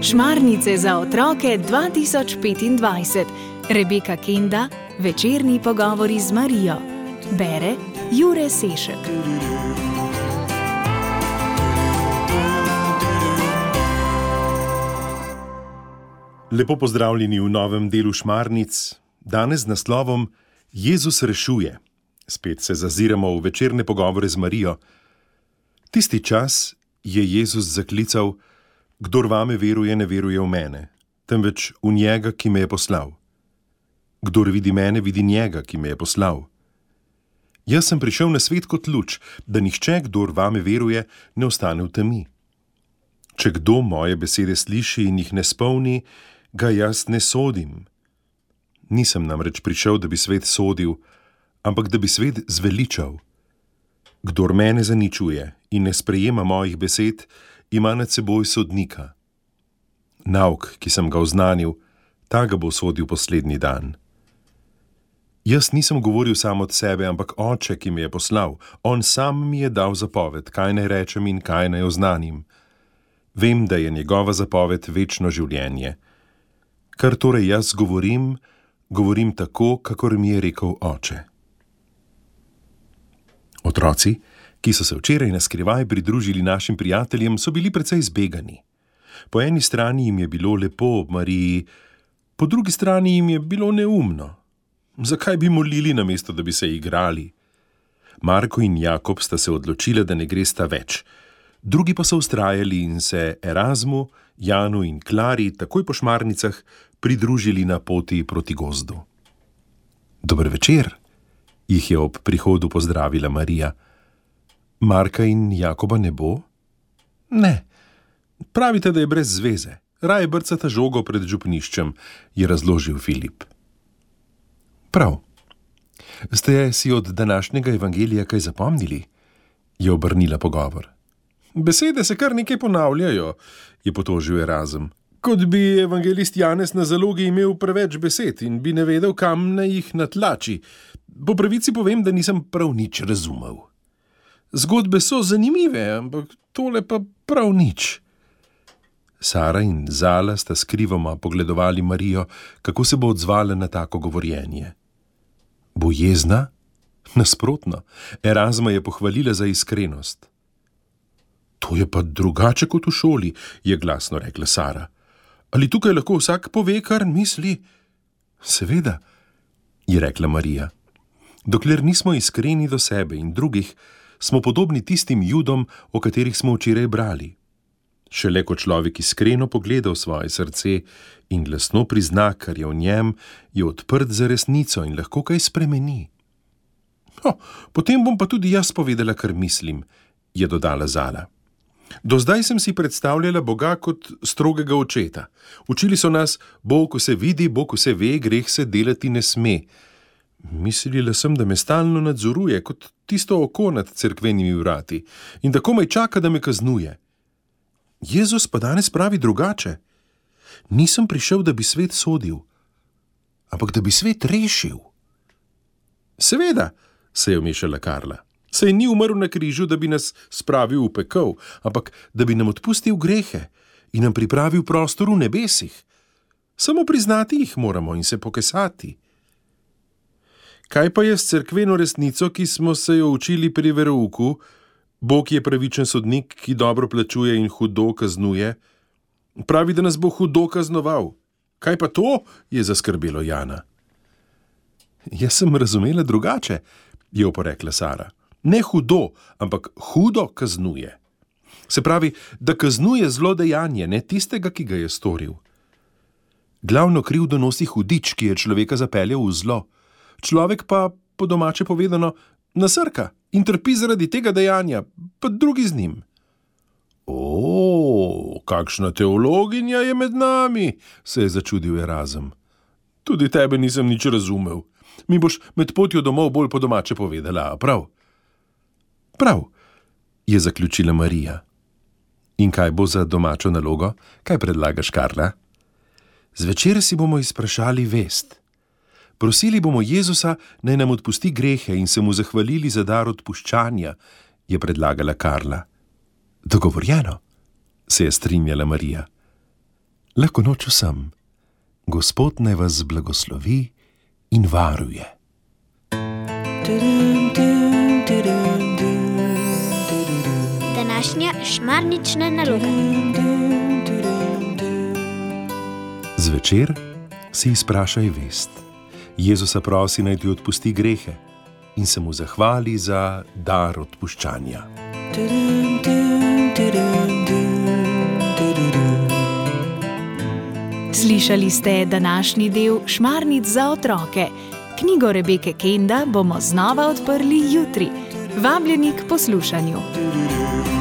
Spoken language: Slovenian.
Šmarnice za otroke 2025. Rebeka Kenda, večerni pogovori z Marijo. Bere Jure Sešek. Lepo pozdravljeni v novem delu Šmarnic, danes z naslovom Jezus rešuje. Spet se zaziramo v večerne pogovore z Marijo. Tisti čas je Jezus zaklical: Kdor vame veruje, ne veruje v mene, temveč v njega, ki me je poslal. Kdor vidi mene, vidi njega, ki me je poslal. Jaz sem prišel na svet kot luč, da nihče, kdor vame veruje, ne ostane v temi. Če kdo moje besede sliši in jih ne spolni, ga jaz ne sodim. Nisem namreč prišel, da bi svet sodil, ampak da bi svet zveličal. Kdor mene zaničuje in ne sprejema mojih besed, ima nad seboj sodnika. Nauk, ki sem ga oznanil, ta ga bo sodil poslednji dan. Jaz nisem govoril sam od sebe, ampak Oče, ki me je poslal. On sam mi je dal zapoved, kaj naj rečem in kaj naj oznanim. Vem, da je njegova zapoved večno življenje. Kar torej jaz govorim, govorim tako, kakor mi je rekel Oče. Otroci, ki so se včeraj na skrivaj pridružili našim prijateljem, so bili precej zbegani. Po eni strani jim je bilo lepo ob Mariji, po drugi strani jim je bilo neumno. Zakaj bi molili, namesto da bi se igrali? Marko in Jakob sta se odločila, da ne gresta več. Drugi pa so vztrajali in se Erazmu, Janu in Klari takoj po Šmarnicah pridružili na poti proti gozdu. Dober večer, jih je ob prihodu pozdravila Marija. Marka in Jakoba ne bo? Ne. Pravite, da je brez zveze. Raje brcata žogo pred župniščem, je razložil Filip. Prav. Ste si od današnjega evangelija kaj zapomnili? Je obrnila pogovor. Besede se kar nekaj ponavljajo, je potožil Erazem. Kot bi evangelist Janez na zalogi imel preveč besed in bi ne vedel, kam naj jih natlači. Po pravici povem, da nisem prav nič razumel. Zgodbe so zanimive, ampak tole pa prav nič. Sara in Zala sta skrivoma pogledovali Marijo, kako se bo odzvala na tako govorjenje. Bo jezna? Nasprotno, Erazma je pohvalila za iskrenost. To je pa drugače kot v šoli, je glasno rekla Sara. Ali tukaj lahko vsak pove, kar misli? Seveda, je rekla Marija. Dokler nismo iskreni do sebe in drugih, smo podobni tistim Judom, o katerih smo včeraj brali. Šele ko človek iskreno pogleda v svoje srce in glasno prizna, kar je v njem, je odprt za resnico in lahko kaj spremeni. Potem bom pa tudi jaz povedala, kar mislim, je dodala Zala. Do zdaj sem si predstavljala Boga kot strogega očeta. Učili so nas, Bog vse vidi, Bog vse ve, greh se delati ne sme. Mislila sem, da me stalno nadzoruje, kot tisto oko nad cerkvenimi vrati, in da komaj čaka, da me kaznuje. Jezus pa danes pravi drugače. Nisem prišel, da bi svet sodil, ampak da bi svet rešil. Seveda, se je vmešala Karla. Saj ni umrl na križu, da bi nas spravil v pekel, ampak da bi nam odpustil grehe in nam pripravil prostor v nebesih. Samo priznati jih moramo in se pokesati. Kaj pa je s cerkveno resnico, ki smo se jo učili pri verouku? Bog je pravičen sodnik, ki dobro plačuje in hudo kaznuje. Pravi, da nas bo hudo kaznoval. Kaj pa to? Je zaskrbelo Jana. Jaz sem razumela drugače, je oporekla Sara. Ne hudo, ampak hudo kaznuje. Se pravi, da kaznuje zlodejanje, ne tistega, ki ga je storil. Glavno krivdo nosi hudič, ki je človeka zapeljal v zlo. Človek pa, po domače povedano, nasrka in trpi zaradi tega dejanja, pa drugi z njim. Kakšna teologinja je med nami, se je začudil Erazem. Tudi tebe nisem nič razumel. Mi boš med potjo domov bolj po domače povedala, prav? Prav, je zaključila Marija. In kaj bo za domačo nalogo? Kaj predlagaš, Karla? Zvečer si bomo izprašali vest. Prosili bomo Jezusa, naj nam odpusti grehe in se mu zahvalili za dar odpuščanja, je predlagala Karla. Dogovorjeno, se je strinjala Marija. Lahko noč vsem. Gospod naj vas blagoslovi in varuje. Današnja šmarnična naloga. Zvečer si izprašaj vest. Jezusa prosi, naj ti odpusti grehe in se mu zahvali za dar odpuščanja. Slišali ste današnji del Šmarnic za otroke. Knjigo Rebeke Kenda bomo znova odprli jutri. Vabljeni k poslušanju.